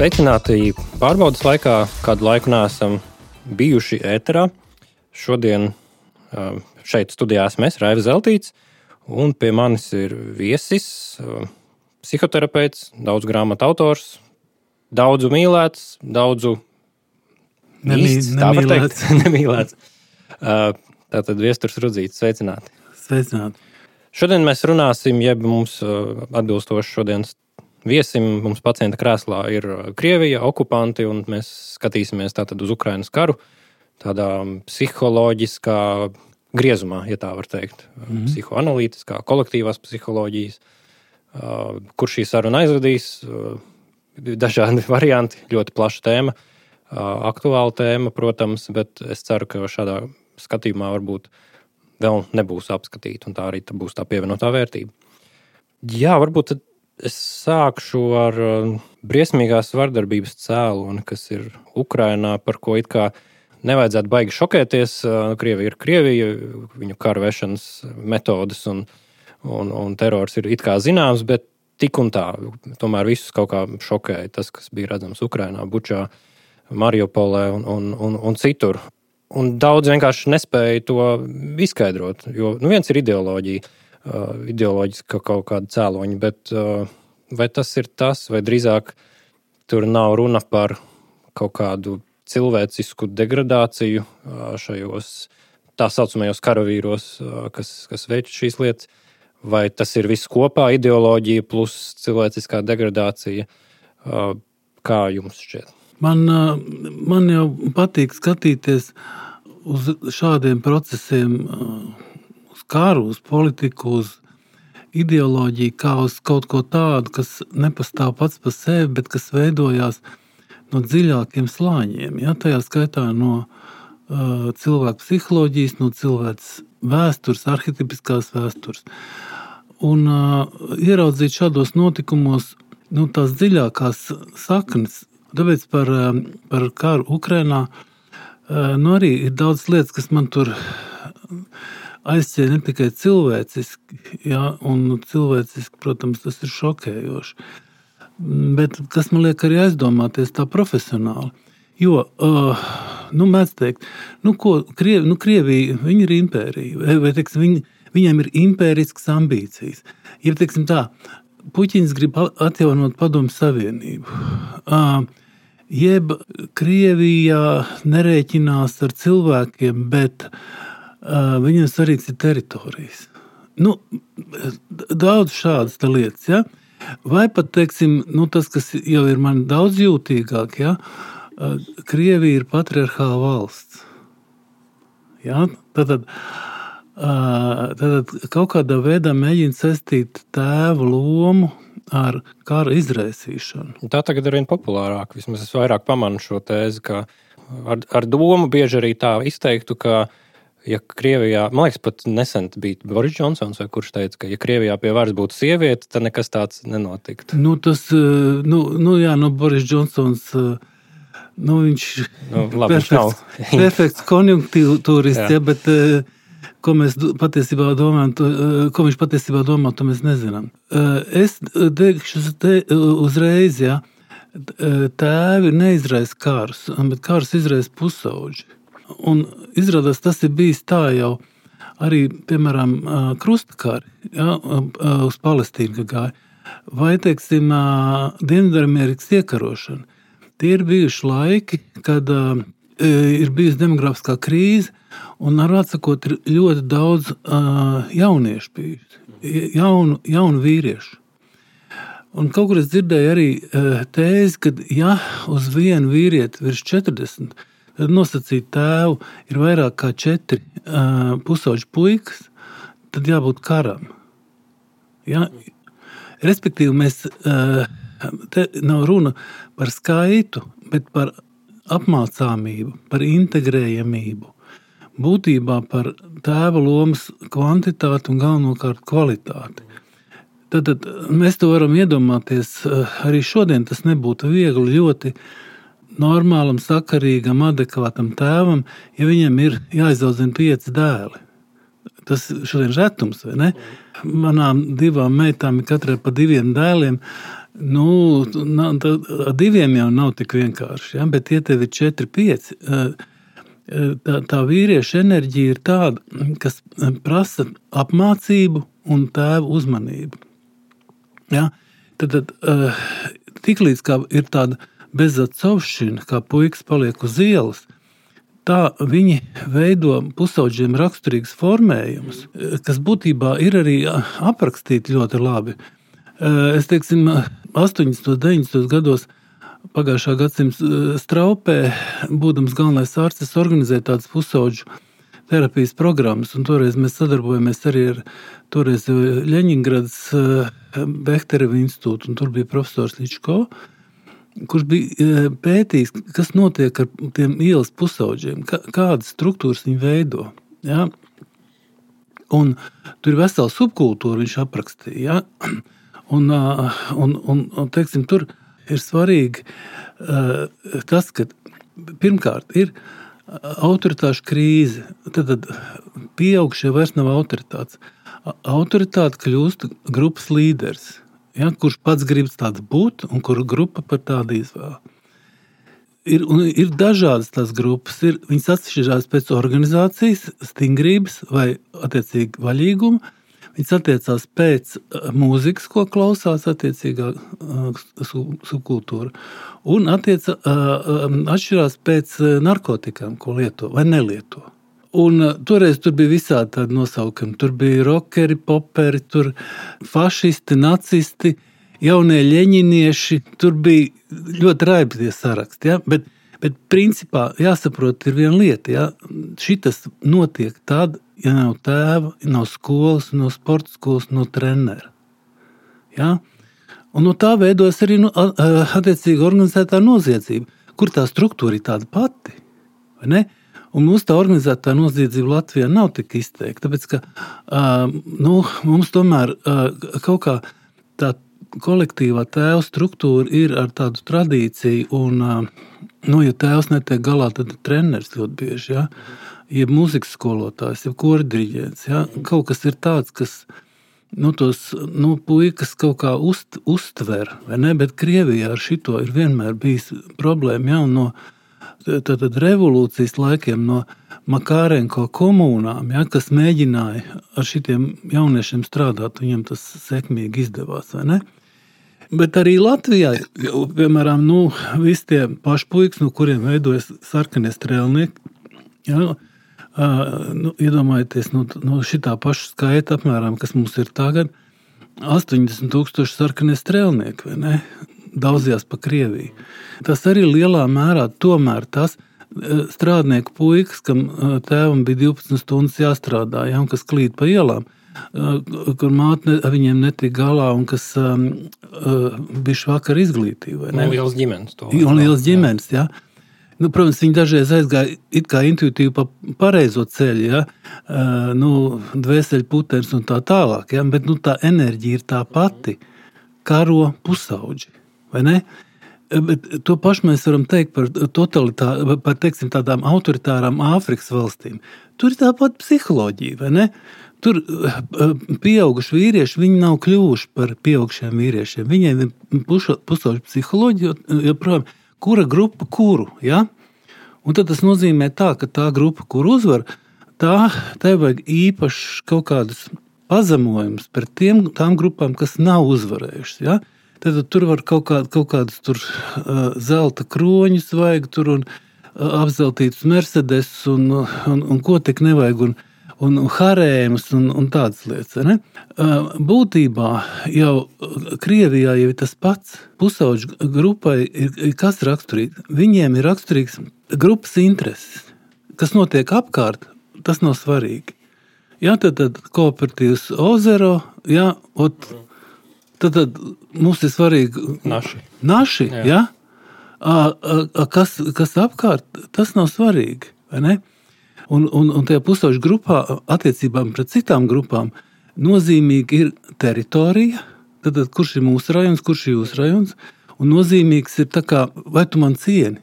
Sveicināti pārbaudas laikā, kādu laiku neesam bijuši ēterā. Šodien šeit studijā esmu es, Raivis Zeltīts, un pie manis ir viesis, psihoterapeits, daudz grāmatu autors, daudzu mīlēts, daudzu īsts, tā var teikt, nemīlēts. Tātad Viesturs Rudzītis, sveicināti. Sveicināti. Šodien mēs runāsim, jeb mums atbilstoši šodienas viesim, mums pacienta krēslā ir Krievija, okupanti, un mēs skatīsimies tātad uz Ukrainas karu, tādā psiholoģiskā griezumā, ja tā var teikt, psihoanalītiskā, kolektīvās psiholoģijas, kur šī saruna aizvedīs, dažādi varianti, ļoti plaša tēma, aktuāla tēma, protams, bet es ceru, ka šādā skatījumā varbūt vēl nebūs apskatīta, un tā arī būs tā pievienotā vērtība. Jā, varbūt es sākšu ar briesmīgās vardarbības cēloni, kas ir Ukrainā, par ko it kā nevajadzētu baigi šokēties. Krievija ir Krievija, viņu kara vešanas metodes un terors ir it kā zināms, bet tik un tā, tomēr visus kaut kā šokēja tas, kas bija redzams Ukrainā, Bučā, Mariupolē un citur. Un daudz vienkārši nespēja to izskaidrot, jo viens ir ideoloģiska kaut kāda cēloņa, bet vai tas ir tas, vai drīzāk tur nav runa par kaut kādu cilvēcisku degradāciju šajos tā saucamajos karavīros, kas veic šīs lietas, vai tas ir viss kopā ideoloģija plus cilvēciskā degradācija? Kā jums šķiet? Man jau patīk skatīties uz šādiem procesiem, uz karu, uz politiku, uz ideoloģiju, kā uz kaut ko tādu, kas nepastāv pats par sevi, bet kas veidojās no dziļākiem slāņiem. Ja? Tajā skaitā no cilvēka psiholoģijas, no cilvēks vēstures, arhetipiskās vēstures. Un ieraudzīt šādos notikumos tās dziļākās saknes. Tāpēc par karu Ukrainā arī ir daudz lietas, kas man tur aizķēra ne tikai cilvēciski, ja, un cilvēciski, protams, tas ir šokējoši, bet kas man liek arī aizdomāties tā profesionāli. Jo, mēdz teikt, Krievija, viņi ir impērija, vai teiksim, viņiem ir impēriskas ambīcijas. Ja, teiksim tā, Puķins grib atjaunot Padomju Savienību, jeb Krievijā nerēķinās ar cilvēkiem, bet viņiem svarīgs ir teritorijas. Daudz šādas lietas, ja? Vai pat, teiksim, tas, kas jau ir man daudz jūtīgāk, ja? Krievija ir patriarchāla valsts. Ja? Tad kaut kādā veidā mēģina saistīt tēva lomu ar kara izraisīšanu. Tā tagad ir vien populārāk. Vismaz es vairāk pamanu šo tēzi, ka ar domu bieži arī tā izteiktu, ka ja Krievijā, man liekas, pat nesen bija Boris Džonsons, vai kurš teica, ka ja Krievijā pie varas būtu sieviete, tad nekas tāds nenotiktu. Boris Džonsons, viņš perfekts konjunktūrists, bet ko mēs patiesībā domājam, ko viņš patiesībā domā, to mēs nezinām. Es teikšu uzreiz, ja, tēvi neizraisa karus, bet karus izraisa pusauģi. Un izrādās, tas ir bijis tā jau arī, piemēram, krustakari, ja, uz Palestīnu gāja, vai, teiksim, Dienvidamerikas iekarošana. Tie ir bijuši laiki, kad ir bijusi demografiskā krīze, un ar atsakot ir ļoti daudz jauniešu bijusi, jaunu vīriešu. Un kaut kur es dzirdēju arī tēzi, ka ja uz vienu vīrieti virs 40, tad nosacīt tēvu ir vairāk kā 4 pusauģu puikas, tad jābūt karam. Ja? Respektīvi, te nav runa par skaitu, bet par apmācāmību, par integrējamību. Būtībā par tēva lomas kvantitāti un galvenokārt kvalitāti. Tad mēs to varam iedomāties, arī šodien tas nebūtu viegli ļoti normālam, sakarīgam, adekvātam tēvam, ja viņam ir jāizaudzina 5 dēli. Tas šodien retums, vai ne? Manām 2 meitām ir katrai pa 2 dēliem. Diviem jau nav tik vienkārši, ja? Bet ja tev ir 4-5, tā vīrieša enerģija ir tāda, kas prasa apmācību un tēva uzmanību. Ja? Tad tiklīdz kā ir tāda bezatsovšana, kā puikas paliek uz ielas, tā viņi veido pusauģiem raksturīgas formējumus, kas būtībā ir arī aprakstīti ļoti labi. Es teiksim, 80. 90. gados pagājušā gadsimta Straupē, būdams galvenais ārsts, es organizēju tādas pusauģu terapijas programmas, un toreiz mēs sadarbojamies arī ar toreiz Ļeņingradas Behtereva institūtu, un tur bija profesors Ličko, kurš bija pētījis, kas notiek ar tiem ielas pusauģiem, kādas struktūras viņi veido. Ja? Un tur ir vesela subkultūra, viņš aprakstīja. Ja? Un teiksim, tur ir svarīgi tas, ka pirmkārt ir autoritāšu krīze. Tad pieaugšie vairs nav autoritātes. Autoritāte kļūst grupas līderis. Ja, kurš pats grib tāds būt, un kuru grupa par tādu izvēl. Ir dažādas tās grupas, viņas atšķirās pēc organizācijas, stingrības vai attiecīgi vaļīguma, viņas attiecās pēc mūzikas, ko klausās attiecīgā subkultūra, un atšķirās pēc narkotikām, ko lieto vai nelieto. Un toreiz tur bija visādi tādi nosaukumi. Tur bija rockeri, poperi, tur fašisti, nacisti, jaunie ļeņinieši. Tur bija ļoti raibi tie saraksti. Ja? Bet principā jāsaprot ir viena lieta. Ja? Šitas notiek tad, ja nav tēva, nav skolas, nav sporta skolas, nav trenera. Ja? Un no tā veidojas arī attiecīgi organizētā noziedzība, kur tā struktūra ir tāda pati. Vai ne? Un mūsu tā organizētā noziedzība Latvijā nav tik izteikta, tāpēc, ka mums tomēr kaut kā tā kolektīvā tēva struktūra ir ar tādu tradīciju, un, ja tēvs netiek galā, tad treneris ļoti bieži, ja? Jeb mūzikas skolotājs, jeb kordiriģents, ja? Kaut kas ir tāds, kas tos puikas kaut kā uztver, vai ne? Bet Krievijā ar šito ir vienmēr bijis problēma, ja? Un no tātad revolūcijas laikiem no Makārenko komunām, ja, kas mēģināja ar šitiem jauniešiem strādāt, viņiem tas sekmīgi izdevās, vai ne? Bet arī Latvijā, piemēram, visi tie paši puikas, no kuriem veidojas sarkanie strēlnieki, ja, iedomājieties, no šitā paša skaita apmēram, kas mums ir tagad, 80,000 sarkanie strēlnieki, vai ne? Daudzījās pa Krieviju. Tas arī lielā mērā tomēr tas strādnieku puikas, kam tēvam bija 12 stundas jāstrādā, ja, un kas klīd pa ielām, kur māte viņiem netika galā un kas bija švakar izglītība. Un lielas ģimenes. Un lielas ģimenes, jā. Protams, viņi dažreiz aizgāja it kā intuitīvi pa pareizo ceļu, ja? Dvēseļu putenis un tā tālāk, ja? Bet tā enerģija ir tā pati. Karo pusauģi. Vai ne? Bet to pašu mēs varam teikt par teiksim, tādām autoritārām Āfrikas valstīm. Tur ir tāpat psiholoģija, vai ne? Tur pieauguši vīrieši, viņi nav kļuvuši par pieaugušiem vīriešiem. Viņiem ir pusauģu psiholoģija, joprojām, kura grupa kuru, ja? Un tad tas nozīmē tā, ka tā grupa, kur uzvar, tai vajag īpaši kaut kādus pazemojumus par tām grupām, kas nav uzvarējušas, ja? Tad tur var kaut kādus tur zelta kroņus vajag tur un apzeltītus Mercedes un ko tik nevajag un harēmus un tādas lietas. Ne? Būtībā jau Krievijā jau ir tas pats. Pusauģu grupai ir kas raksturīgs? Viņiem ir raksturīgs grupas intereses. Kas notiek apkārt, tas nav svarīgi. Ja, tad kooperatīvs Ozero, ja, tad mums ir svarīgi naši ja? Kas apkārt, tas nav svarīgi, vai ne? Un tajā pusauģu grupā attiecībām pret citām grupām nozīmīgi ir teritorija, tad kurš ir mūsu rajons, kurš ir jūsu rajons, un nozīmīgs ir tā kā, vai tu man cieni.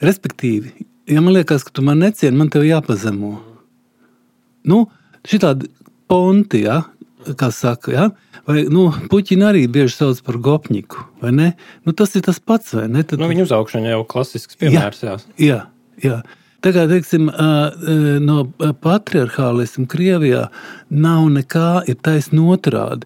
Respektīvi, ja man liekas, ka tu man necieni, man tev jāpazemo. Šitādi ponti, ja? kā saka, ja? Vai, puķini arī bieži sauc par gopņiku, vai ne? Tas ir tas pats, vai ne? Tad... Viņa uzaugšana jau klasisks piemērs, Jā. Tā kā, teiksim, no patriarchālisma Krievijā nav nekā, ir taisn otrādi.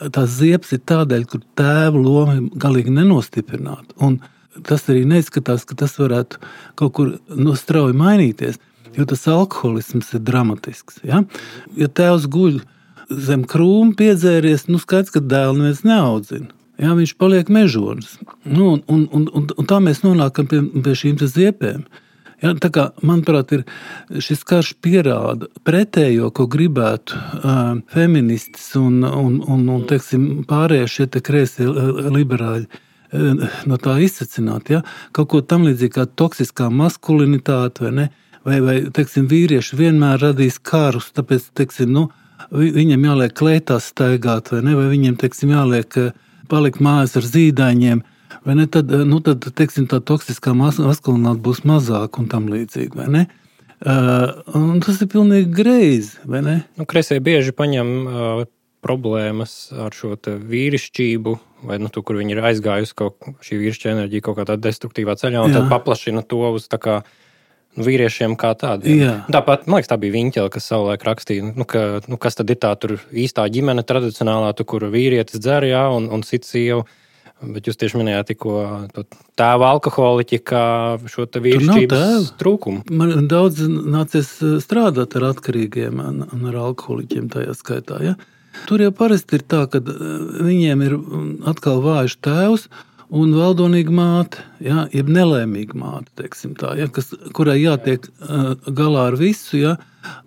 Tās ziepes ir tādēļ, kur tēva loma galīgi nenostiprināta. Un tas arī neizskatās, ka tas varētu kaut kur strauji mainīties, jo tas alkoholisms ir dramatisks. Ja, ja tēvs guļ zem krūma piedzēries, skaidrs, ka dēlu neviens neaudzina. Ja, viņš paliek mežonis. Un tā mēs nonākam pie šīm ziepēm. Ja, tā kā, manuprāt, šis karš pierāda pretējo, ko gribētu feministis un teiksim, pārējie šie kreisie liberāļi no tā izsacināt. Ja? Kaut ko tam līdzīgi kā toksiskā maskulinitāte, vai ne? Vai teiksim, vīrieši vienmēr radīs karus, tāpēc, teiksim, viņiem jāliek kleitās staigāt, vai ne? Vai viņiem, teiksim, jāliek palikt mājās ar zīdaiņiem, vai ne? Tad teiksim, tā toksiskā maskulinitāte būs mazāk un tam līdzīgi, vai ne? Un tas ir pilnīgi greizi, vai ne? Kreisie bieži paņem problēmas ar šo vīrišķību, vai tur, kur viņi ir aizgājusi šī vīrišķa enerģija kaut kādā destruktīvā ceļā, un tad paplašina to uz tā kā vīriešiem kā tādiem. Tāpat, man liekas, tā bija Viņķele, kas savulaik rakstīja, kas tad ir tā tur īstā ģimene tradicionālā, kur vīrietis dzer, un cits sievu. Bet jūs tieši minējāt tikko tēva alkoholiķi kā šo vīrišķības trūkumu. Man daudz nācies strādāt ar atkarīgiem un ar alkoholiķiem tajā skaitā, ja? Tur jau parasti ir tā, ka viņiem ir atkal vājš tēvs un valdonīga māte, ja, jeb nelēmīga māte, teiksim tā, ja, kurai jātiek galā ar visu, ja,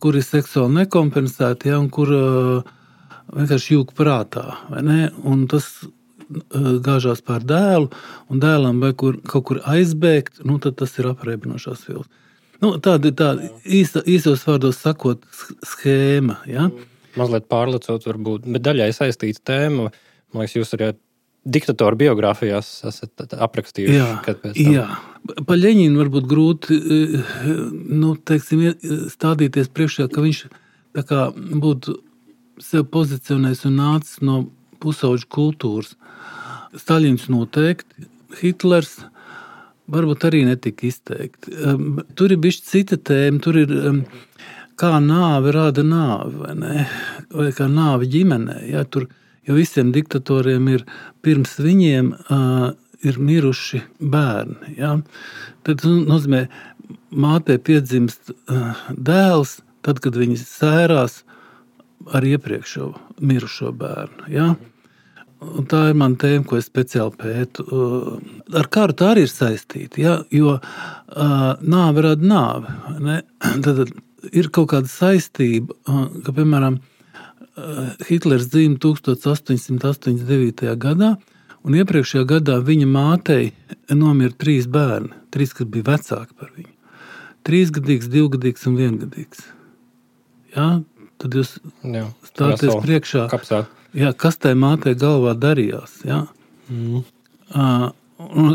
kur ir seksuāli nekompensēti, ja, un kur vienkārši jūg prātā, vai ne? Un tas gāžās pār dēlu, un dēlam vai kaut kur aizbēgt, tad tas ir apreibinošās vilks. Tāda ir tāda īsos vārdos sakot schēma, ja. Mazliet pārlecot varbūt, bet daļai saistīta tēma. Man liekas, jūs arī diktatoru biogrāfijās esat aprakstījuši. Jā. Pa Ļeņinu varbūt grūti teiksim, stādīties priekšā, ka viņš tā kā būtu sev pozicionējis un nācis no pusauģu kultūras. Staļins noteikti, Hitlers varbūt arī netika izteikti. Tur ir bišķi cita tēma, tur ir kā nāve rada nāvi, vai ne? Vai kā nāve ģimenē. Ja? Tur, jo visiem diktatoriem ir pirms viņiem ir miruši bērni. Ja? Tad nozīmē, mātei piedzimst dēls, tad, kad viņi sērās ar iepriekšo mirušo bērnu. Ja? Un tā ir mana tēma, ko es speciāli pētu. Ar karu tā arī ir saistīta, ja? Jo nāve rada nāvi. Ne? Tad ir kaut kāda saistība, ka, piemēram, Hitlers dzīva 1889. gadā, un iepriekšējā gadā viņa mātei nomira 3 bērni, 3, kas bija vecāki par viņu. 3-gadīgs, 2-gadīgs un 1-gadīgs. Ja? Tad jūs stāties priekšā, kas tai mātei galvā darījās. Ja? Un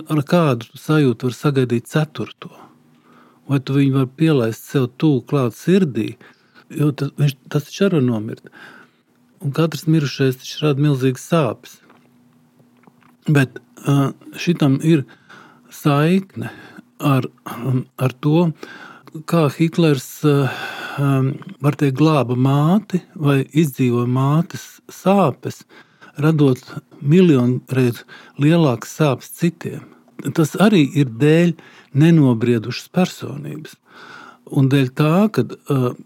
ar kādu sajūtu var sagaidīt 4. Vai tu viņu var pielaist sev tūl klāt sirdī, jo tas taču arī var nomirt. Un katrs mirušais taču rada milzīgas sāpes. Bet šitam ir saikne ar to, kā Hitlers var teikt glāba māti vai izdzīvoja mātes sāpes, radot miljonreiz lielākas sāpes citiem. Tas arī ir dēļ nenobriedušas personības. Un dēļ tā, ka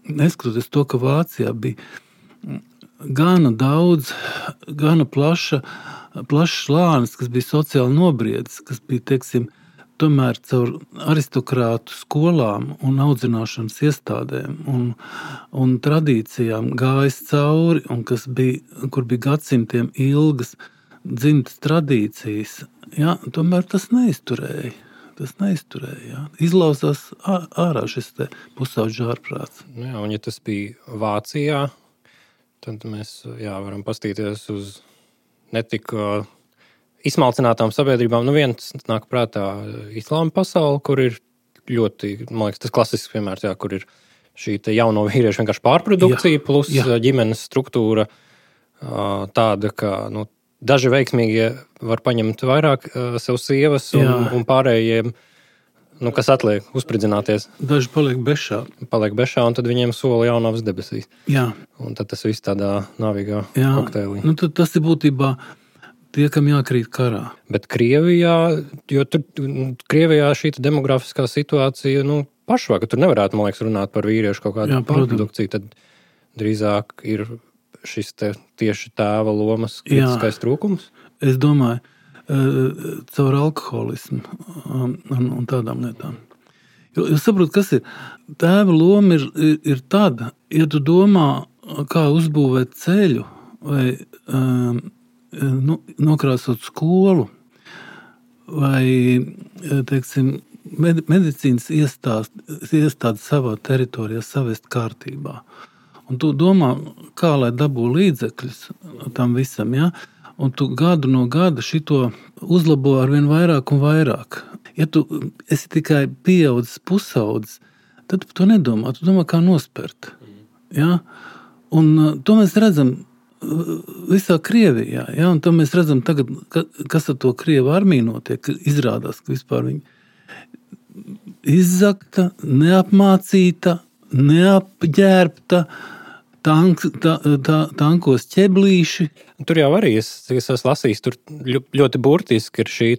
neskatoties to, ka Vācijā bija gana daudz, gana plašs slānis, kas bija sociāli nobriedis, kas bija, teiksim, tomēr caur aristokrātu skolām un audzināšanas iestādēm un tradīcijām gājis cauri, un kur bija gadsimtiem ilgas dzimtas tradīcijas, ja, tomēr tas neizturēja. Ja. Izlauzās ārā šis te pusauģu ārprāts. Jā, un ja tas bija Vācijā, tad mēs varam pastīties uz netika izsmalcinātām sabiedrībām. Viens nāk prātā islāma pasaule, kur ir ļoti, man liekas, tas klasisks piemērs, kur ir šī jauno vīriešu vienkārši pārprodukcija plus ģimenes struktūra, tāda, ka daži veiksmīgie var paņemt vairāk sev sievas un pārējiem, kas atliek, uzspridzināties. Daži paliek bešā, un tad viņiem sola jaunavas debesīs. Jā. Un tad tas viss tādā navīgā kokteilī. Tad tas ir būtībā tie, kam jākrīt karā. Bet Krievijā, jo Krievijā šī demografiskā situācija, pašvaka, tur nevarētu, man liekas, runāt par vīriešu kaut kādu pārprodukciju, tad drīzāk ir šis tieši tēva lomas kritiskais trūkums? Es domāju, caur alkoholismu un tādām lietām. Jo saprot, kas ir? Tēva loma ir tāda, ja tu domā, kā uzbūvēt ceļu vai nokrāsot skolu vai, teiksim, medicīnas iestādi savā teritorijā savest kārtībā. Un tu domā, kā lai dabū līdzekļus tam visam, ja? Un tu gadu no gada šito uzlabo arvien vairāk un vairāk. Ja tu esi tikai pieaudzis pusaudzis, tad tu to nedomā, tu domā, kā nospert. Ja? Un to mēs redzam visā Krievijā, ja? Un to mēs redzam tagad, kas ar to Krievu armiju notiek, izrādās, ka vispār viņi izzakta, neapmācīta, neapģērbta, tankos ķeblīši. Tur jau arī es esmu lasījis, tur ļoti burtiski ir šī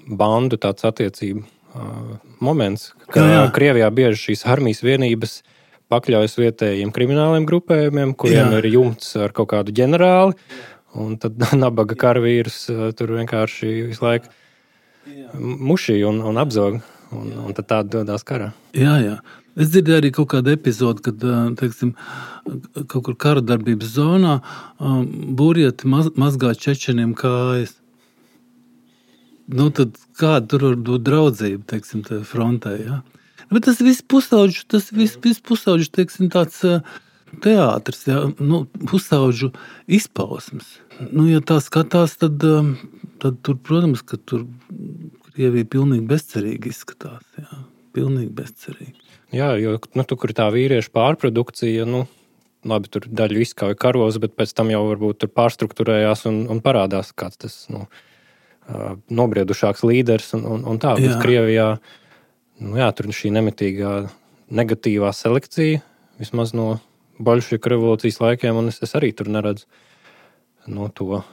bandu tāds attiecību moments, ka Krievijā bieži šīs armijas vienības pakļaujas vietējiem krimināliem grupējumiem, kuriem ir jumts ar kaut kādu ģenerāli, un tad nabaga karavīrus tur vienkārši visu laiku mušī un apzog, un tad tāda dodās karā. Jā. Es dzirdēju arī kaut kādu epizodu, kad, teiksim, kaut kur kara darbības zonā burjeti mazgā čečeniem kājas. Tad kāda tur var būt draudzība, teiksim, frontē, ja? Bet tas viss pusauģu, teiksim, tāds teātris, ja? Pusauģu izpausmes. Ja tā skatās, tad tur, protams, ka tur Krievija pilnīgi bezcerīgi izskatās, jā. Pilnīgi bezcerīgi. Jā, jo tur, kur tā vīriešu pārprodukcija, labi, tur daļu izkauja karos, bet pēc tam jau varbūt tur pārstruktūrējās un parādās kāds tas nobriedušāks līderis un tā. Bet Krievijā, tur šī nemitīgā negatīvā selekcija, vismaz no boļševiku revolūcijas laikiem, un es arī tur neredzu to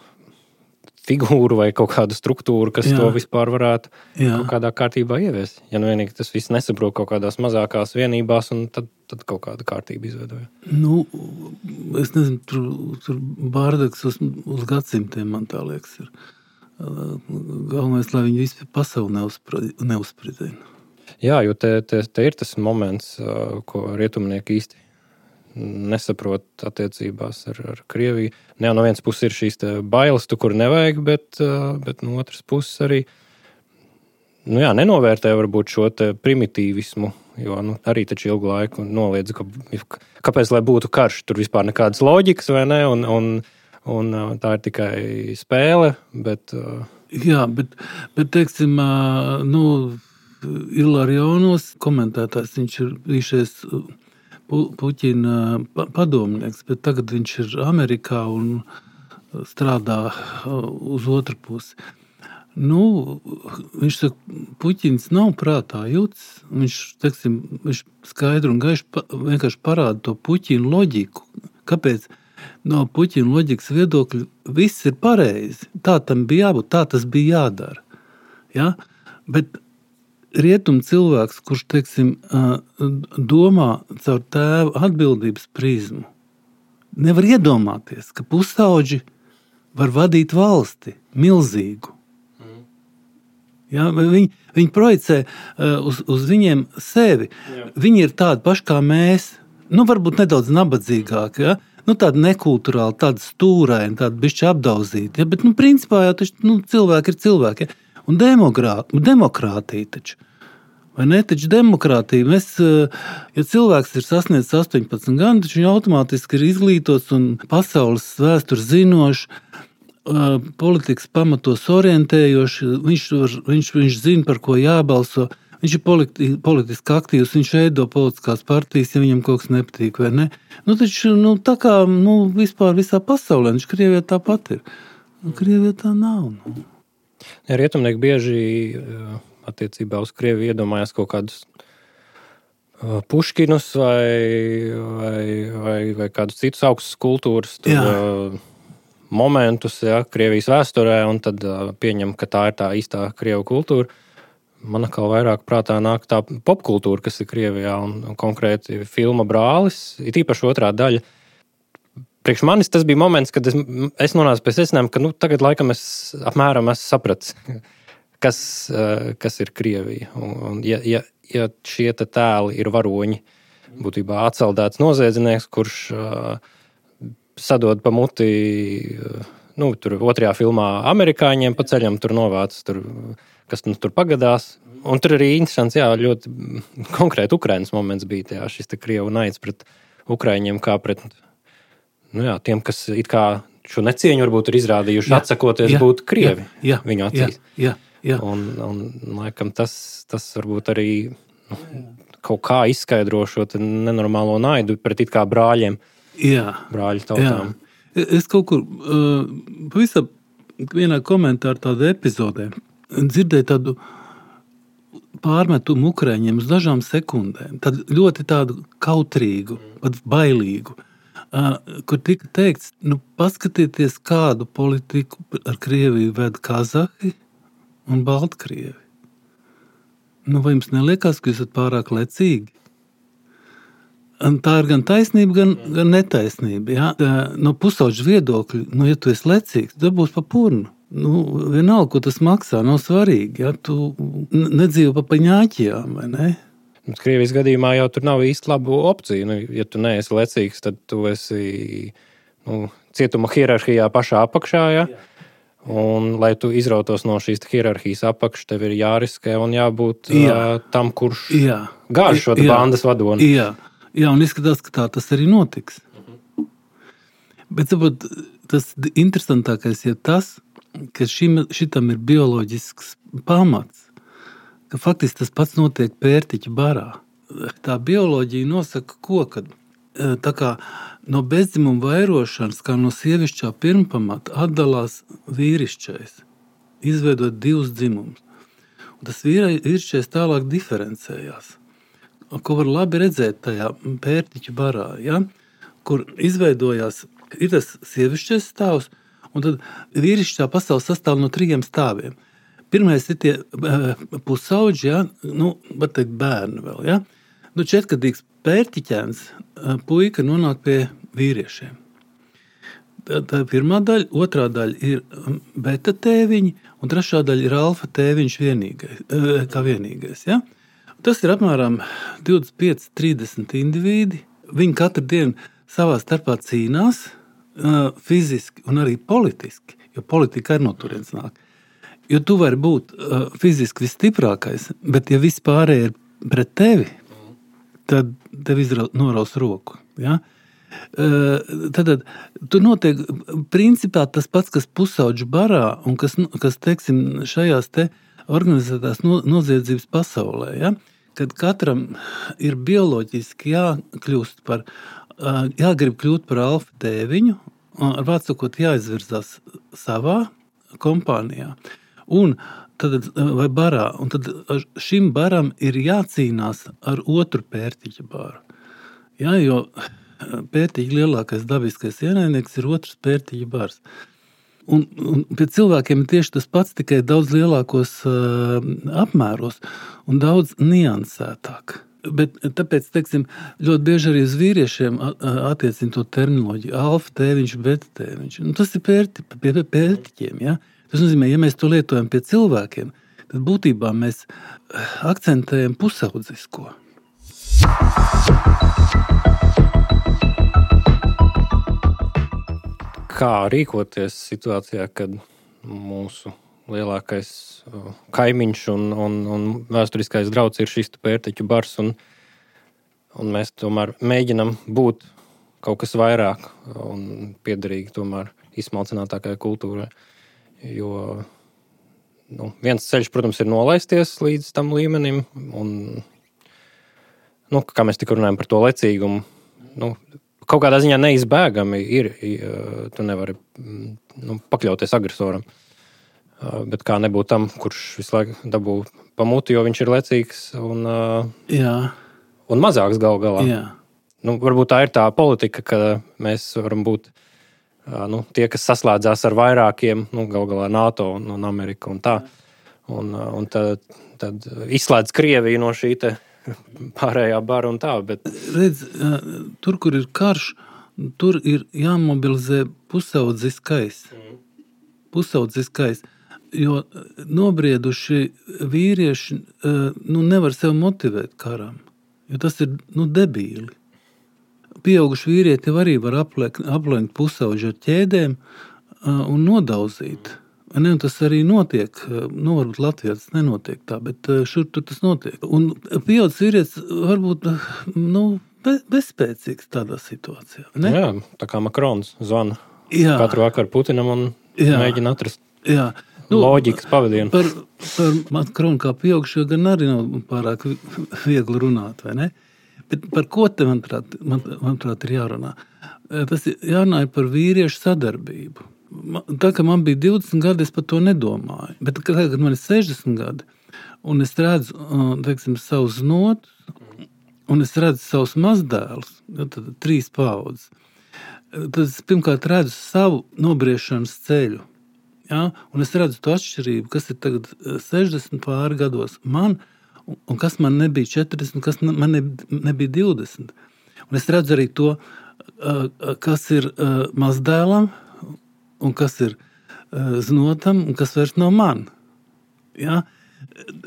figūru vai kaut kādu struktūru, kas to vispār varētu kaut kādā kārtībā ieviest. Ja vienīgi tas viss nesaprot kaut kādās mazākās vienībās, un tad kaut kāda kārtība izveidoja. Es nezinu, tur bārdaks uz gadsimtiem, man tā liekas, ir. Galvenais, lai viņi vispār pasauli neuzspridzina. Jā, jo te ir tas moments, ko rietumnieki īsti nesaprot attiecībās ar Krieviju. No vienas puses ir šīs bailes, kur nevajag, bet no otras puses arī nenovērtē varbūt šo primitīvismu, jo arī taču ilgu laiku noliedz, kāpēc, lai būtu karš, tur vispār nekādas loģikas, vai ne, un tā ir tikai spēle, bet... Jā, bet teiksim, Ilarionos komentētājs, viņš ir bijušies Puķina padomnieks, bet tagad viņš ir Amerikā un strādā uz otru pusi. Viņš saka, Puķins nav prātā jūtas. Viņš skaidru un gaišu vienkārši parāda to Puķina loģiku. Kāpēc? No Puķina loģikas viedokļa viss ir pareizi. Tā tam bija jābūt, tā tas bija jādara. Ja? Bet rietum cilvēks, kurš, teiksim, domā caur tēva atbildības prizmu, nevar iedomāties, ka pusauģi var vadīt valsti milzīgu. Ja? Viņi projicē uz viņiem sevi. Jā. Viņi ir tādi paši kā mēs, varbūt nedaudz nabadzīgāki, ja? Tādi nekulturāli, tādi stūraini, tādi bišķi apdauzīti. Ja? Bet, principā jau taču, cilvēki ir cilvēki. Ja? Un demokrātija taču. Vai ne? Taču demokrātija. Ja cilvēks ir sasniedzis 18 gadus, taču viņš automātiski ir izglītots un pasaules vēstures zinošs, politikas pamatos orientējošs, viņš zina, par ko jābalso, viņš ir politiski aktīvs, viņš veido politiskās partijas, ja viņam kaut kas nepatīk, vai ne? Taču, tā kā, vispār visā pasaulē, viņš Krievijā tāpat ir. Krievijā tā nav. Rietumnieki bieži attiecībā uz Krieviju iedomājās kaut kādus Puškinus vai kādus citus augstus kultūras momentus, Krievijas vēsturē, un tad pieņem, ka tā ir tā īstā Krievu kultūra. Man atkal vairāk prātā nāk tā popkultūra, kas ir Krievijā, un konkrēti filma Brālis, ir īpaši otrā daļa. Priekš manis tas bija moments, kad es nonācu pie secinājuma, ka tagad laikam es apmēram esmu sapratis, kas ir Krievija. Un ja šie tēli ir varoņi, būtībā atceldēts noziedznieks, kurš sadod pa muti, tur otrajā filmā amerikāņiem pa ceļam, tur novāc, kas tur pagadās. Un tur arī interesants, ļoti konkrēti Ukrainas moments bija, šis Krievu naids pret Ukraiņiem, kā pret tiem, kas it kā šo necieņu varbūt ir izrādījuši, atsakoties būt Krievi viņu acīs. Un laikam tas varbūt arī kaut kā izskaidro šo nenormālo naidu pret it kā brāļiem. Brāļu tautām. Es kaut kur pavisam vienā komentāru tādu epizodē dzirdēju tādu pārmetumu Ukraiņiem uz dažām sekundēm. Tad ļoti tādu kautrīgu, pat bailīgu, kur tika teikts, paskatieties, kādu politiku ar Krieviju ved Kazahi un Baltkrievi. Vai jums neliekās, ka jūs esat pārāk lecīgi? Un tā ir gan taisnība, gan netaisnība. No pusauģa viedokļa, ja tu esi lecīgs, tad būs pa purnu. Vienalga, ko tas maksā, nav svarīgi. Tu nedzīvo pa paņāķijām, vai ne? Krievijas gadījumā jau tur nav īsti labu opciju. Ja tu neesi lecīgs, tad tu esi cietuma hierarhijā pašā apakšā. Un, lai tu izrautos no šīs hierarhijas apakš, tev ir jāriskē un jābūt tam, kurš gāž šo bandas vadoni. Un izskatās, ka tā tas arī notiks. Bet tas interesantākais ir tas, ka šitam ir bioloģisks pamats, ka faktiski tas pats notiek pērtiķu barā. Tā bioloģija nosaka ko, kad tā kā no bezdzimuma vairošanas, kā no sievišķā pirmpamata, atdalās vīrišķais, izveidot divus dzimumus. Un tas vīrišķais tālāk diferencējās. Ko var labi redzēt tajā pērtiķu barā, kur izveidojās ir tas sievišķais stāvs, un tad vīrišķā pasaule sastāv no 3 stāviem. Pirmais ir tie pusauģi, var teikt bērni vēl, 4-gadīgs pērtiķēns puika nonāk pie vīriešiem. Tā ir pirmā daļa, otrā daļa ir beta tēviņi, un trešā daļa ir alfa tēviņš vienīgais, Tas ir apmēram 25-30 indivīdi. Viņi katru dienu savā starpā cīnās fiziski un arī politiski, jo politika arī no turienes nāk. Jo tu vari būt fiziski visstiprākais, bet ja viss pārējie ir pret tevi, tad tev noraus roku. Tad tur notiek principā tas pats, kas pusauģu barā un kas teiksim, šajās te organizētās noziedzības pasaulē, kad katram ir bioloģiski jāgrib kļūt par alfa tēviņu, ar vārdu sakot, jāizvirzās savā kompānijā. Un tad, vai barā, un tad šim baram ir jācīnās ar otru pērtiķa baru. Jo pērtiķa lielākais dabiskais ienaidnieks ir otrs pērtiķa bars. Un pie cilvēkiem ir tieši tas pats, tikai daudz lielākos apmēros un daudz niansētāk. Bet tāpēc, teiksim, ļoti bieži arī uz vīriešiem attiecina to terminoloģiju. Alfa tēviņš, beta tēviņš. Tas ir pērtiķiem, Tas nozīmē, ja mēs to lietojam pie cilvēkiem, tad būtībā mēs akcentējam pusaudzisko. Kā rīkoties situācijā, kad mūsu lielākais kaimiņš un vēsturiskais drauds ir šis pērtiķu bars, un mēs tomēr mēģinam būt kaut kas vairāk un piederīgi tomēr izsmalcinātākai kultūrai. Jo viens ceļš, protams, ir nolaisties līdz tam līmenim, un, kā mēs tikko runājam par to lecīgumu, kaut kādā ziņā neizbēgami ir, tu nevari pakļauties agresoram. Bet kā nebūt tam, kurš visu laiku dabū pamuti, jo viņš ir lecīgs un mazāks gal galā. Jā. Varbūt tā ir tā politika, ka mēs varam būt tie, kas saslēdzās ar vairākiem, gal galā NATO un Amerika un tā. Un tad izslēdz Krieviju no šī te pārējā bara un tā. Bet... Redz, tur, kur ir karš, tur ir jāmobilizē pusaudziskais. Pusaudziskais. Jo nobrieduši vīrieši nevar sev motivēt karam. Jo tas ir debīli. Pieauguši vīrieti arī var aplenkt pusauģi ar ķēdēm un nodauzīt. Un tas arī notiek. Varbūt Latvijā tas nenotiek tā, bet šur tur tas notiek. Un pieaugušs vīrietis varbūt bezspēcīgs tādā situācijā. Ne? Jā, tā kā Makrons zvana katru vakaru Putinam un mēģina atrast loģikas pavadienu. Par Makronu kā pieaugušo gan arī nav pārāk viegli runāt, vai ne? Bet par ko te, manuprāt, ir jārunā? Tas jārunā par vīriešu sadarbību. Tā, ka man bija 20 gadi, es par to nedomāju. Bet kad man ir 60 gadi, un es redzu, teiksim, savus notus, un es redzu savus mazdēlus, tad 3 paudzes, tad es pirmkārt redzu savu nobriešanas ceļu. Ja? Un es redzu to atšķirību, kas ir tagad 60 pāri gados man, un kas man nebija 40, kas man nebija 20. Un es redzu arī to, kas ir mazdēlam, un kas ir znotam, un kas vairs nav man. Ja?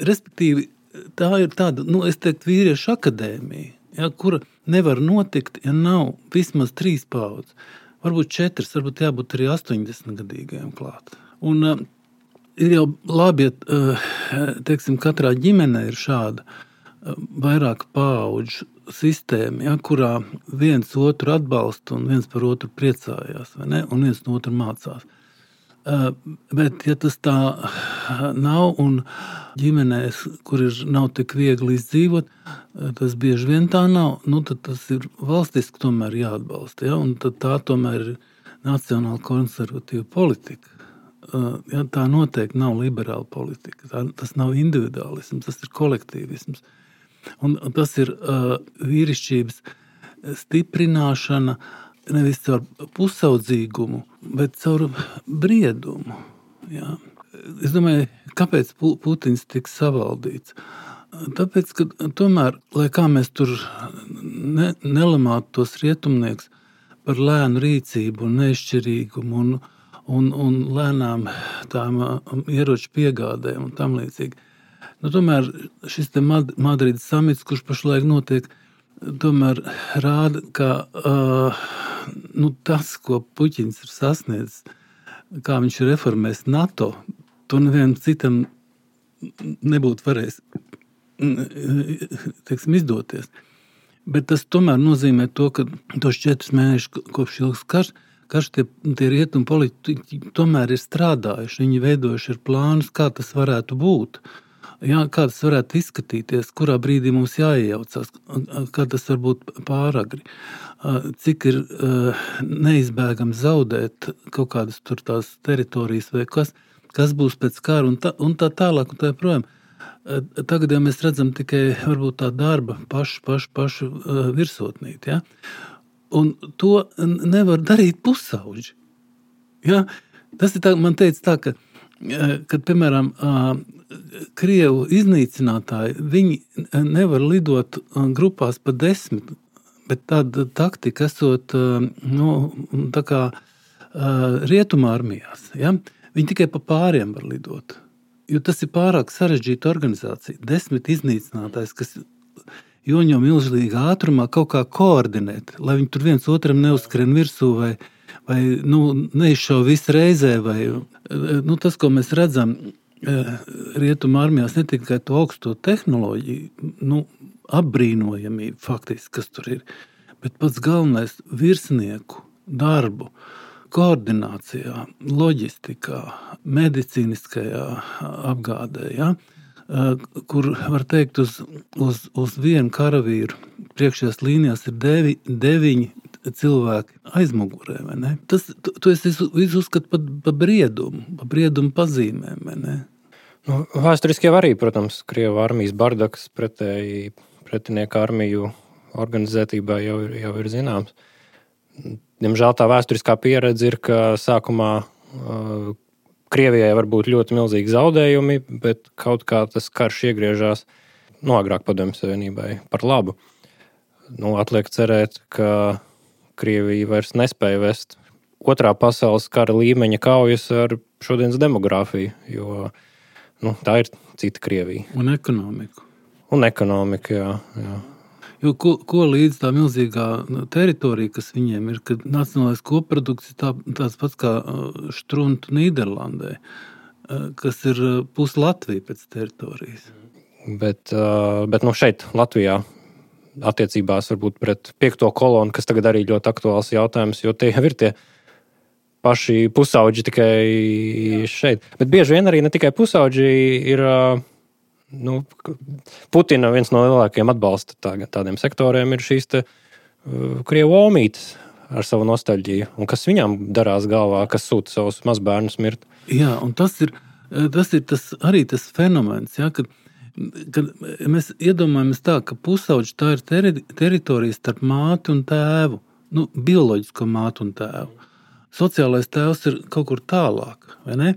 Respektīvi, tā ir tāda, es teiktu, vīriešu akadēmija, ja, kura nevar notikt, ja nav vismaz 3 paudzes. Varbūt 4, varbūt jābūt arī 80-gadīgajiem klāt. Un ir jau labi, ja teiksim, katrā ģimenē ir šāda vairāk paudžu sistēma, ja, kurā viens otru atbalsta un viens par otru priecājās, vai ne? Un viens no otru mācās. Bet, ja tas tā nav un ģimenēs, kur nav tik viegli izdzīvot, tas bieži vien tā nav, tad tas ir valstiski tomēr jāatbalsta. Ja? Un tad tā tomēr ir nacionāla konservatīva politika. Ja, tā noteikti nav liberāla politika. Tas nav individuālisms, tas ir kolektīvisms. Un tas ir vīrišķības stiprināšana nevis caur pusaudzīgumu, bet caur briedumu. Ja. Es domāju, kāpēc Putins tiks savaldīts? Tāpēc, ka tomēr, lai kā mēs tur nelamātu tos rietumnieks par lēnu rīcību un nešķirīgumu un lēnām tām ieroču piegādēm un tam līdzīgi. Tomēr šis te Madrides samits, kurš pašlaik notiek, tomēr rāda, ka tas, ko Puķins ir sasniedzis, kā viņš ir reformējis NATO, to nevienam citam nebūtu varējis izdoties. Bet tas tomēr nozīmē to, ka tos 4 mēnešus kopš ilgs karš tie rietumu politiķi tomēr ir strādājuši. Viņi veidojuši ir plānus, kā tas varētu būt. Jā, kā tas varētu izskatīties, kurā brīdī mums jāiejaucās, kā tas var būt pāragri. Cik ir neizbēgami zaudēt kaut kādas tur tās teritorijas vai kas būs pēc kara un tā tālāk un tā projām. Tagad jau mēs redzam tikai varbūt tā darba pašu virsotnīt, ja? Un to nevar darīt pusauģi. Ja? Tas ir tā, man teica tā, ka, kad, piemēram, Krievu iznīcinātāji, viņi nevar lidot grupās pa 10, bet tāda taktika esot, tā kā rietumā armijās, ja? Viņi tikai pa pāriem var lidot. Jo tas ir pārāk sarežģīta organizācija. 10 iznīcinātājs, kas joņo milzīgā ātrumā kaut kā koordinēt, lai viņi tur viens otram neuzskrien virsū vai neizšauj visu reizē. Tas, ko mēs redzam rietuma armijās, ne tikai to augsto tehnoloģiju, apbrīnojamību faktiski, kas tur ir, bet pats galvenais virsnieku darbu, koordinācijā, loģistikā, medicīniskajā apgādē, ja? Kur, var teikt, uz vienu karavīru priekšējās līnijās ir 9 cilvēki aizmugurē, vai ne? Tu esi visu uzskatu pa briedumu pazīmēm, vai ne? Nu, vēsturiski jau arī, protams, Krievu armijas bardaks pretēji pretinieku armiju organizētībā jau ir zināms. Diemžēl tā vēsturiskā pieredze ir, ka sākumā Krievijai var būt ļoti milzīgi zaudējumi, bet kaut kā tas karš iegriežās agrāk Padomju Savienībai par labu. Atliek cerēt, ka Krievija vairs nespēja vest otrā pasaules kara līmeņa kaujas ar šodienas demogrāfiju, jo tā ir cita Krievija. Un ekonomiku. Un ekonomika, jā. Jo ko līdz tā milzīgā teritorija, kas viņiem ir, kad nacionālais koprodukts ir tāds pats kā Štruntu Nīderlandē, kas ir pus Latvija pēc teritorijas. Bet šeit Latvijā attiecībās varbūt pret 5. kolonu, kas tagad arī ļoti aktuāls jautājums, jo tie jau ir tie paši pusauģi tikai šeit. Bet bieži vien arī ne tikai pusauģi ir... Putina viens no lielākajiem atbalsta tādiem sektoriem ir šīs Krievu omītes ar savu nostalģiju, un kas viņām darās galvā, kas sūta savus mazbērnus mirt. Jā, un tas ir arī tas fenomens, ja, kad mēs iedomājamies tā, ka pusauģi tā ir teritorija starp māti un tēvu, bioloģisko māti un tēvu. Sociālais tēvs ir kaut kur tālāk, vai ne?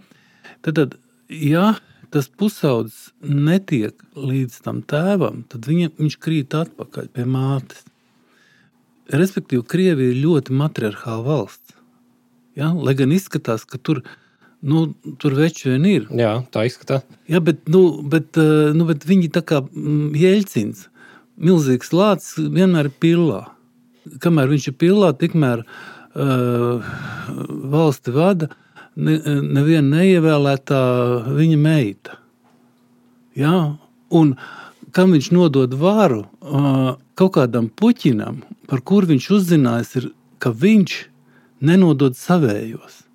Tad, ja tas pusaudzis netiek līdz tam tēvam, tad viņš krīt atpakaļ pie mātes. Respektīvi, Krievija ir ļoti matriarchāla valsts. Ja? Lai gan izskatās, ka tur veči vien ir. Jā, tā izskatās. Ja, bet viņi tā kā Jeļcins, milzīgs lācis, vienmēr ir pillā. Kamēr viņš ir pillā, tikmēr valsti vada neviena neievēlētā viņa meita. Ja? Un kam viņš nodod varu kaut kādam Puķinam, par kur viņš uzzinājis ir, ka viņš nenodod savējos.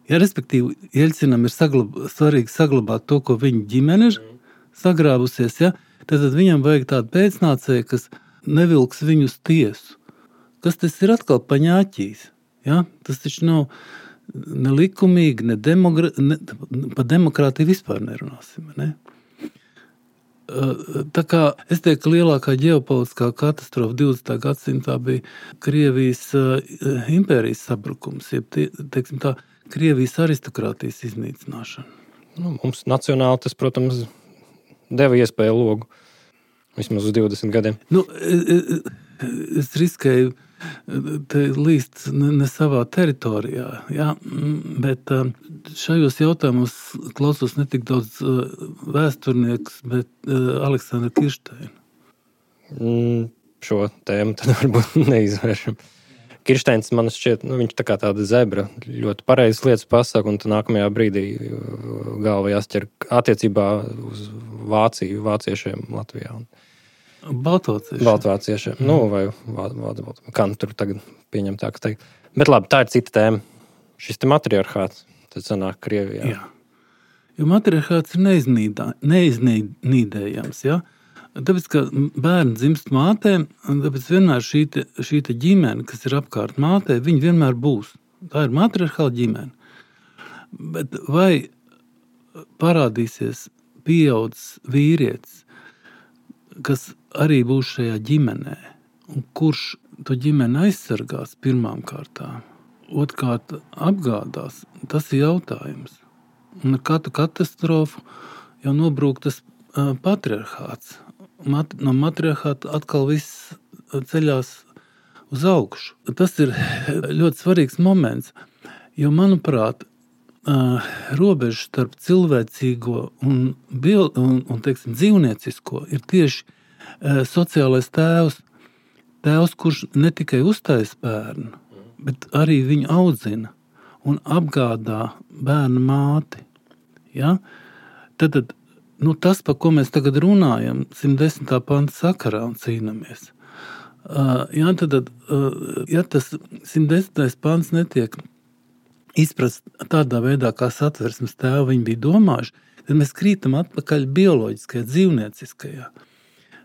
Ja, respektīvi, Jeļcinam ir svarīgi saglabāt to, ko viņa ģimene ir sagrābusies, ja? Tad viņam vajag tādu pēcnācēju, kas nevilks viņu uz tiesu. Kas tas ir atkal paņāķīs? Ja? Tas taču nav nelikumīgi, pa demokrātiju vispār nerunāsim. Ne? Tā kā es teiktu, ka lielākā ģeopolitiskā katastrofa 20. gadsimtā bija Krievijas impērijas sabrukums, teiksim tā, Krievijas aristokrātijas iznīcināšana. Mums nacionāli tas, protams, deva iespēju logu. Vismaz uz 20 gadiem. Es riskēju līst ne savā teritorijā, ja? Bet šajos jautājumos klausos ne tik daudz vēsturnieks, bet Aleksandra Kiršteina. Šo tēmu tad varbūt neizvēršam. Kiršteins man šķiet, viņš tā kā tāda zebra, ļoti pareizas lietas pasaka, un nākamajā brīdī galva jāsķer attiecībā uz Vāciju, vāciešiem Latvijā. Baltvāciešiem. Vai kā tur tagad pieņem tā, kas teikt. Bet labi, tā ir cita tēma. Šis te matriarchāts, tad sanāk Krievijā. Jā. Jo matriarchāts ir neiznīdējams, ja? Tāpēc, ka bērni dzimst mātēm, un tāpēc vienmēr šī ģimene, kas ir apkārt mātē, viņi vienmēr būs. Tā ir matriarchāla ģimene. Bet vai parādīsies pieaudzis vīrietis, kas arī būs šajā ģimenē, un kurš to ģimeni aizsargās pirmām kārtām, otrkārt apgādās, tas ir jautājums. Un ar katru katastrofu jau nobrūk tas patriarchāts. No matriarchāta atkal viss ceļās uz augšu. Tas ir ļoti svarīgs moments, jo, manuprāt, robeža starp cilvēcīgo un teiksim, dzīvniecisko ir tieši sociālais tēvs, kurš ne tikai uztais bērnu, bet arī viņu audzina un apgādā bērnu māti. Ja? Tad, tas, par ko mēs tagad runājam, 110. panta sakarā un cīnamies. Ja tas 110. pants netiek izprast tādā veidā, kā Satversmes tēvi viņi bija domājuši, tad mēs krītam atpakaļ bioloģiskajā, dzīvnieciskajā.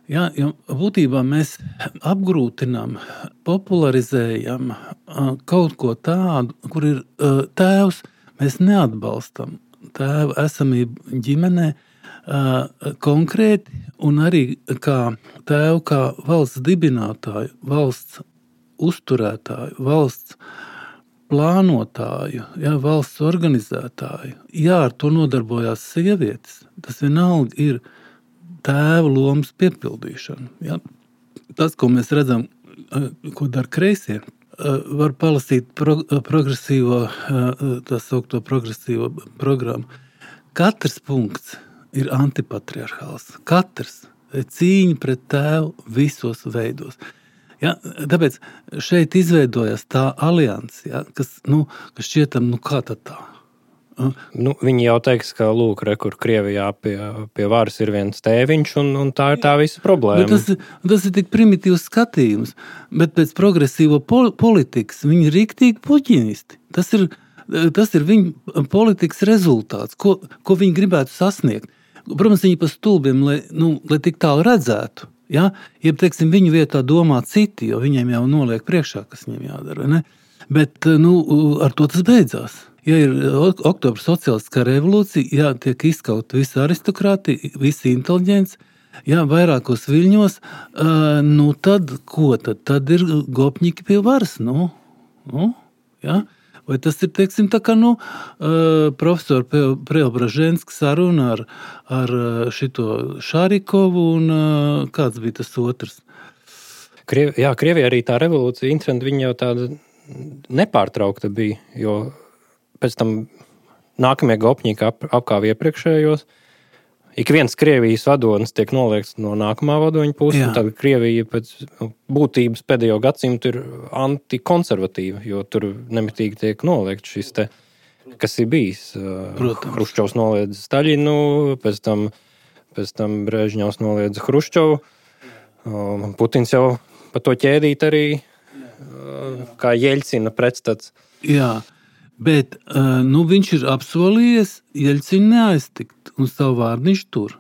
Ja, jo būtībā mēs apgrūtinām, popularizējam kaut ko tādu, kur ir tēvs, mēs neatbalstam tēvu esamību ģimenē konkrēti un arī kā tēvu, kā valsts dibinātāju, valsts uzturētāju, valsts plānotāju, ja, valsts organizētāju. Jā, ar to nodarbojās sievietes. Tas vienalga ir tēva lomas piepildīšana. Ja. Tas, ko mēs redzam, ko dara kreisie, var palasīt progresīvo, tā saukto progresīvo programmu. Katrs punkts ir antipatriarchāls. Katrs cīņa pret tēvu visos veidos. Ja, tāpēc šeit izveidojās tā alianse, ja, kas šķietam, kā tad tā? Viņi jau teiks, ka lūk, kur Krievijā pie varas ir viens tēviņš, un tā ir tā visa problēma. Bet tas ir tik primitīvs skatījums, bet pēc progresīvo politikas viņi ir riktīgi puķinisti. Tas ir viņa politikas rezultāts, ko viņi gribētu sasniegt. Protams, viņi pa stulbiem, lai tik tālu redzētu. Ja? Jeb, teiksim, viņu vietā domā citi, jo viņiem jau noliek priekšā, kas viņiem jādara. Vai ne? Bet ar to tas beidzās. Ja ir oktobra sociālistiskā revolūcija, ja tiek izskaut visa aristokrātija, visi inteliģents, ja vairākos viļņos, tad ko tad? Tad ir gopņiki pie varas. Ja? Vai tas ir, teiksim, tā kā profesora Preobraženska saruna ar šito Šārikovu un kāds bija tas otrs? Krievijā arī tā revolūcija, interesanti, viņa jau tāda nepārtraukta bija, jo pēc tam nākamie gopņiki apkāva iepriekšējos. Ik viens Krievijas vadonis tiek noliekts no nākamā vadoņa puses, un tad Krievija pēc būtības pēdējo gadsimtu ir antikonservatīva, jo tur nemitīgi tiek noliekts šis te, kas ir bijis. Hruščovs noliedz Staļinu, pēc tam Brežņevs noliedz Hruščovu, Putins jau pa to ķēdīt arī kā Jeļcina pretstats. Jā. Bet viņš ir apsolījies Jeļcinu neaiztikt, un savu vārdu viņš tur.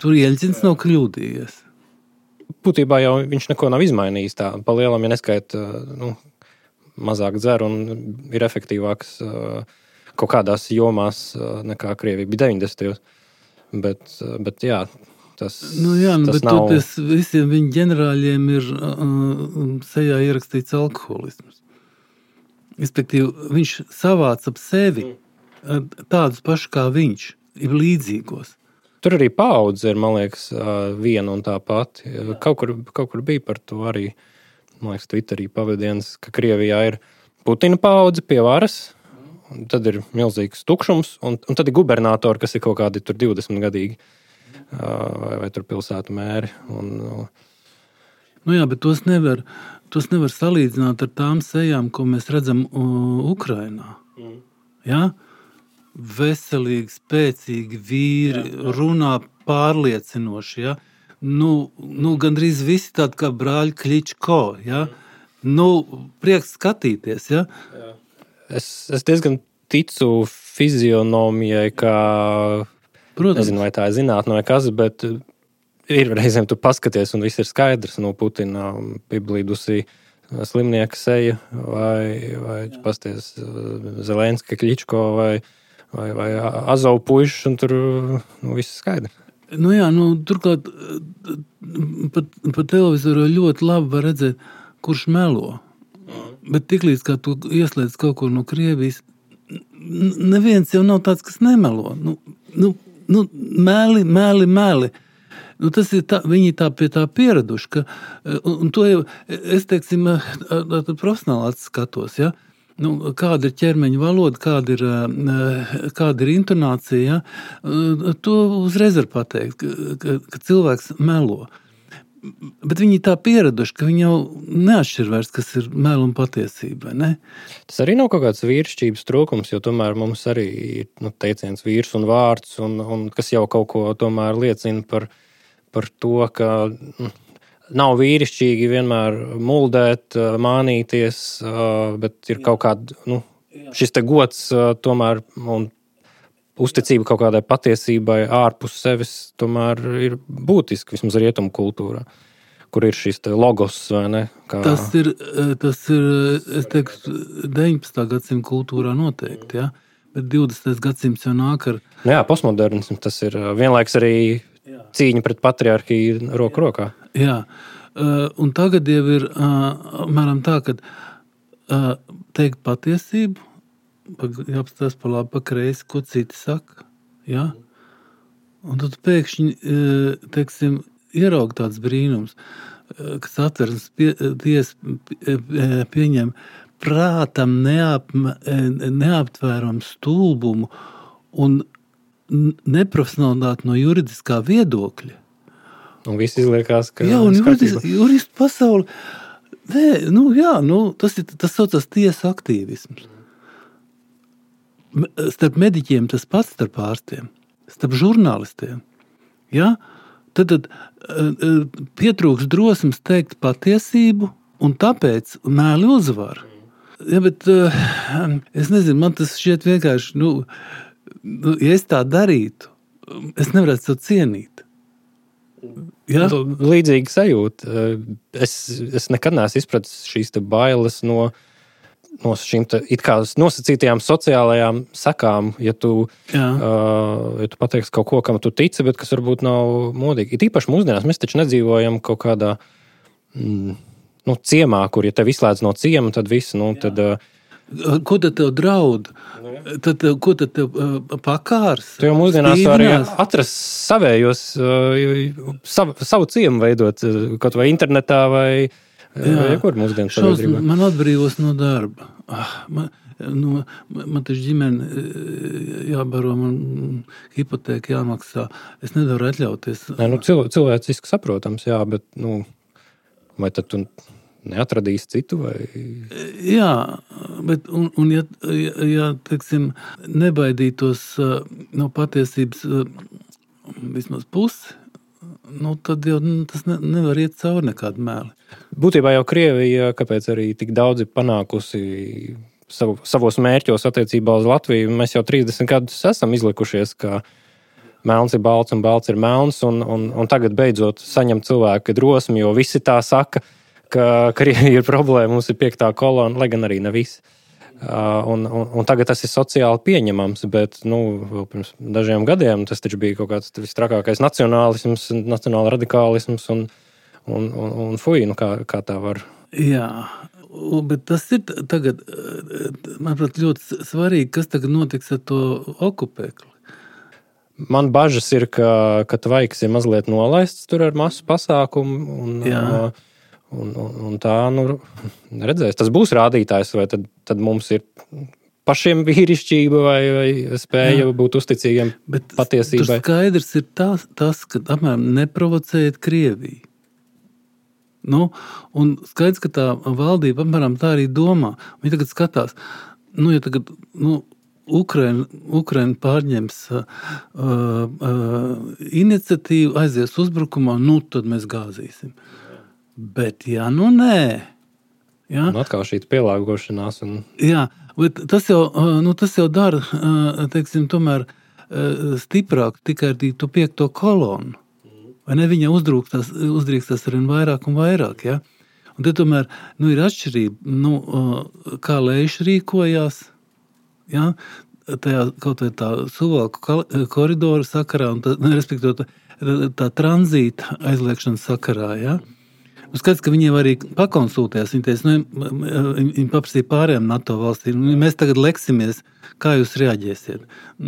Tur Jeļcins nav kļūdījies. Būtībā jau viņš neko nav izmainījis tā. Pa lielam, ja neskait, mazāk dzer un ir efektīvāks kaut kādās jomās nekā Krievija bija 90. Bet jā, tas bet nav... Visiem viņa ģenerāļiem ir sejā ierakstīts alkoholisms. Respektīvi, viņš savāca ap sevi tādus pašus kā viņš, ir līdzīgos. Tur arī paudze ir, man liekas, viena un tā pati. Kaut kur bija par to arī, man liekas, Twitterī pavadiens, ka Krievijā ir Putina paudze pie varas, un tad ir milzīgs tukšums, un tad ir gubernatori, kas ir kaut kādi tur 20 gadīgi, vai tur pilsētu mēri. Jā, bet tos nevar salīdzināt ar tām sejām, ko mēs redzam Ukrainā. Ja? Veselīgi, spēcīgi vīri, runā pārliecinoši. Ja? Gandrīz visi tādi kā brāļi Kličko. Ja? Prieks skatīties. Ja? Es diezgan ticu fizionomijai, kā, nezinu, vai tā ir zinātne vai kas, bet ir reizēm tu paskaties un viss ir skaidrs. Putina piblīdusī slimnieka seja vai pasties Zelenska, Kličko vai Azov puišs, un tur viss ir skaidrs. Turklāt pa televizoru ļoti labi var redzēt, kurš melo. Bet tiklīdz, kā tu ieslēdz kaut ko no Krievijas, neviens jau nav tāds, kas nemelo. Meli. Tas ir tā, viņi tā pie tā pieraduši, un to jau, es teiksim, profesionāli skatos, ja? Kāda ir ķermeņa valoda, kāda ir intonācija, ja? To uzreiz var pateikt, ka cilvēks melo. Bet viņi tā pieraduši, ka viņi jau neatšķir vairs, kas ir melu un patiesība, ne? Tas arī nav kaut kāds vīrišķības trūkums, jo tomēr mums arī ir teiciens vīrs un vārds, un kas jau kaut ko tomēr liecina par to, ka nav vīrišķīgi vienmēr muldēt, mānīties, bet ir kaut kāda šis te gods tomēr un uzticība kaut kādai patiesībai ārpus sevis tomēr ir būtiski, vismaz rietumu kultūrā, kur ir šis te logos, vai ne? Tas ir, es teiktu, 19. gadsimta kultūrā noteikti, ja? Bet 20. gadsimts jau nāk ar... Jā, postmodernisms, tas ir vienlaiks arī cīņa pret patriarhiju roku rokā. Jā, un tagad jau ir, mēram tā, ka teikt patiesību, jāapstās pa labi, pa kreisi, ko citi saka, ja? Un tad pēkšņi, teiksim, ieraug tāds brīnums, kas Satversmes tiesa pieņem prātam neaptvērumu stulbumu un neprofesionalitāti no juridiskā viedokļa. Un viss izliekās, ka... Jā, un juristu pasauli... Tas saucas tiesa aktīvisms. Starp mediķiem tas pats starp ārstiem, starp žurnālistiem. Ja? Tad pietrūks drosmes teikt patiesību, un tāpēc mēli uzvar. Ja, bet es nezinu, man tas šķiet vienkārši, ja es tā darītu, es nevarētu to cienīt. Ja? Līdzīgi sajūta. Es nekad neesmu izpratis šīs te bailes no šīm it kā nosacītajām sociālajām sekām, ja tu pateiksi kaut ko, kam tu tici, bet kas varbūt nav modīgi. Ir īpaši mūsdienās, mēs taču nedzīvojam kaut kādā ciemā, kur ja tev izslēdz no ciema, tad viss, tad... Ko tad tev draud? Ko tad tev pakārs? Tu jau mūsdienās arī atrast savējos, savu ciemu veidot, kaut vai internetā vai kur mūsdienas sabiedrībā. Man atbrīvos no darba. Man taču ģimene jābaro, man hipotēka jāmaksā. Es nevaru atļauties. Cilvēciski saprotams, jā, bet vai tad tu neatradīsi citu? Vai... Jā, bet ja teiksim, nebaidītos no patiesības vismaz pusi, tad jau tas nevar iet cauri nekādu mēli. Būtībā jau Krievija, kāpēc arī tik daudz ir panākusi savos mērķos attiecībā uz Latviju, mēs jau 30 gadus esam izlikušies, ka melns ir balts un balts ir melns, un tagad beidzot saņem cilvēki drosmi, jo visi tā saka, ka Krievija ir problēma, mums ir 5. kolona, lai gan arī ne visi. Un tagad tas ir sociāli pieņemams, bet vēl pirms dažiem gadiem tas taču bija kaut kāds visstrakākais nacionālisms, nacionāla radikālisms un fuj, kā tā var. Jā, bet tas ir tagad, manuprāt, ļoti svarīgi, kas tagad notiks ar to okupēkli. Man bažas ir, ka tvaiks ir mazliet nolaists tur ar masu pasākumu un tā, redzēs, tas būs rādītājs, vai tad mums ir pašiem vīrišķība vai spēja būt uzticīgiem patiesībai. Bet skaidrs ir tas, ka apmēram neprovocējiet Krieviju. Un skaidrs, ka tā valdība apmēram tā arī domā. Viņi tagad skatās, ja tagad, Ukraina pārņems iniciatīvu, aizies uzbrukumā, tad mēs gāzīsim. Bet nē. Ja? Un atkal šī pielāgošanās. Jā, bet tas jau dara, teiksim, tomēr stiprāk tikai ar to 5. kolonu. Vai ne? Viņa uzdrīkstās arvien vairāk un vairāk. Ja? Un te tomēr ir atšķirība, kā Leiši rīkojās, ja? Tajā kaut vai tā Suvalku koridoru sakarā, un respektīvi tā tranzīta aizliekšanas sakarā. Ja? Skaidrs, ka viņiem arī pakonsultējās. Viņi teica, viņi paprasīja pārējām NATO valstīm. Mēs tagad leksimies, kā jūs reaģēsiet.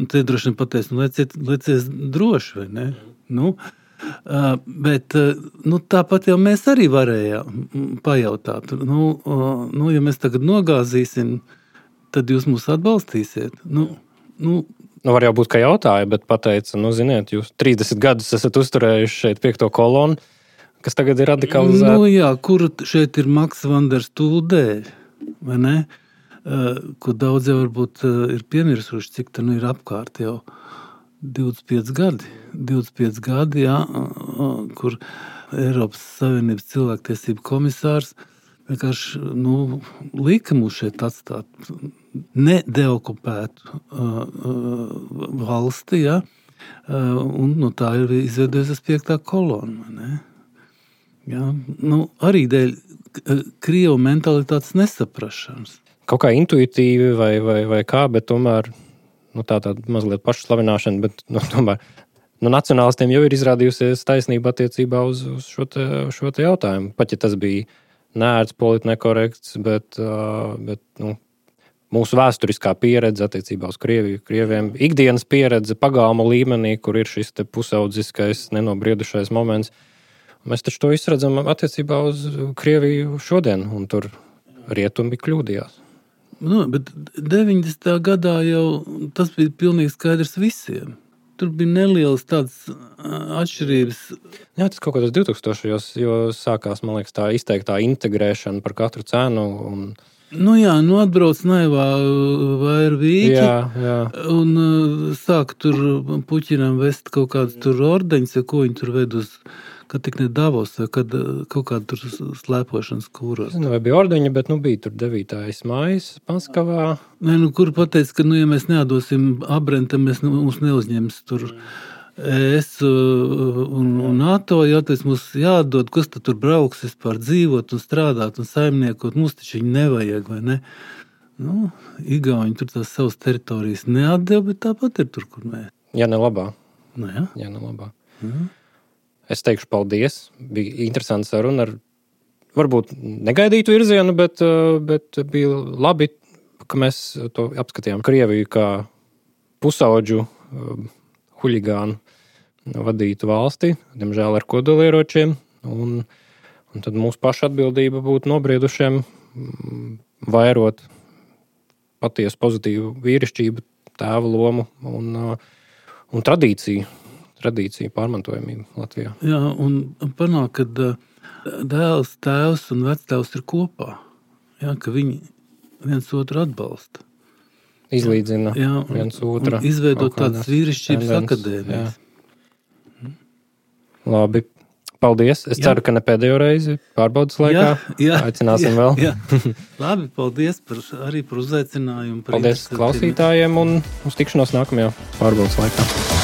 Te droši vien pateica, leciet droši, vai ne? Bet tāpat jau mēs arī varējām pajautāt. Ja mēs tagad nogāzīsim, tad jūs mūs atbalstīsiet. Var jau būt, ka jautāja, bet pateica, ziniet, jūs 30 gadus esat uzturējuši šeit 5. kolonu, kas tagad ir radikalizēta. Kur šeit ir Maks Vanders Tūldēļ, vai ne? Ko daudz jau varbūt ir piemirsuši, cik tā ir apkārt jau 25 gadi. 25 gadi, kur Eiropas Savienības cilvēktiesību komisārs vienkārši lika mūs šeit atstāt. nedeokupētu valsti, ja? Un no tā ir izveidojusies 5. kolona. Ne? Ja? Arī dēļ Krievu mentalitātes nesaprašanas. Kaut kā intuitīvi vai kā, bet tomēr tāda mazliet pašslavināšana, bet tomēr nacionālistiem jau ir izrādījusies taisnība attiecībā uz šo te jautājumu. Pat ja tas bija neērts, politi nekorekts, bet mūsu vēsturiskā pieredze attiecībā uz Krieviem, ikdienas pieredze pagalma līmenī, kur ir šis te pusaudziskais, nenobriedušais moments. Mēs taču to izredzam attiecībā uz Krieviju šodien, un tur rietumi kļūdījās. Bet 90. gadā jau tas bija pilnīgi skaidrs visiem. Tur bija nelielas tādas atšķirības. Jā, tas kaut kādos 2000-os, jo sākās, man liekas, tā izteiktā integrēšana par katru cenu. Atbrauc naivā vairvīķi. Jā. Un sāk tur Puķinam vest kaut kādus tur ordeņus, ko viņi tur ved uz, kad tik ne Davos, vai kad kaut kādu tur slēpošanas kūros. Vai bija ordeņi, bet bija tur 9. mājas Panskavā. Kur pateica, ka, ja mēs neatdosim Abrenta, mums neuzņems tur ES un NATO, tas mums jāatdod, kas tad tur brauks vispār dzīvot un strādāt un saimniekot, mums taču viņi nevajag, vai ne? Igauņi tur tās savas teritorijas neatdeva, bet tāpat ir tur, kur mēs. Jā, ne labā. Jā, ne labā. Es teikšu paldies. Bija interesanti saruna ar varbūt negaidītu virzienu, bet bija labi, ka mēs to apskatījām Krieviju kā pusaudžu huligānu vadītu valsti, diemžēl ar kodolieročiem. Un tad mūsu paša atbildība būtu nobriedušiem vairot patiesu pozitīvu vīrišķību, tēva lomu un tradīciju pārmantojamību Latvijā. Jā, un panāk, ka dēls, tēvs un vectēvs ir kopā. Jā, ka viņi viens otru atbalsta. Izlīdzina viens otru. Izveidot tādas vīrišķības akadēmijas. Labi. Paldies. Es ceru, ka ne pēdējo reizi pārbaudas laikā. Aicināsim vēl. Labi, paldies arī par uzaicinājumu. Paldies klausītājiem un uz tikšanos nākamajā pārbaudas laikā.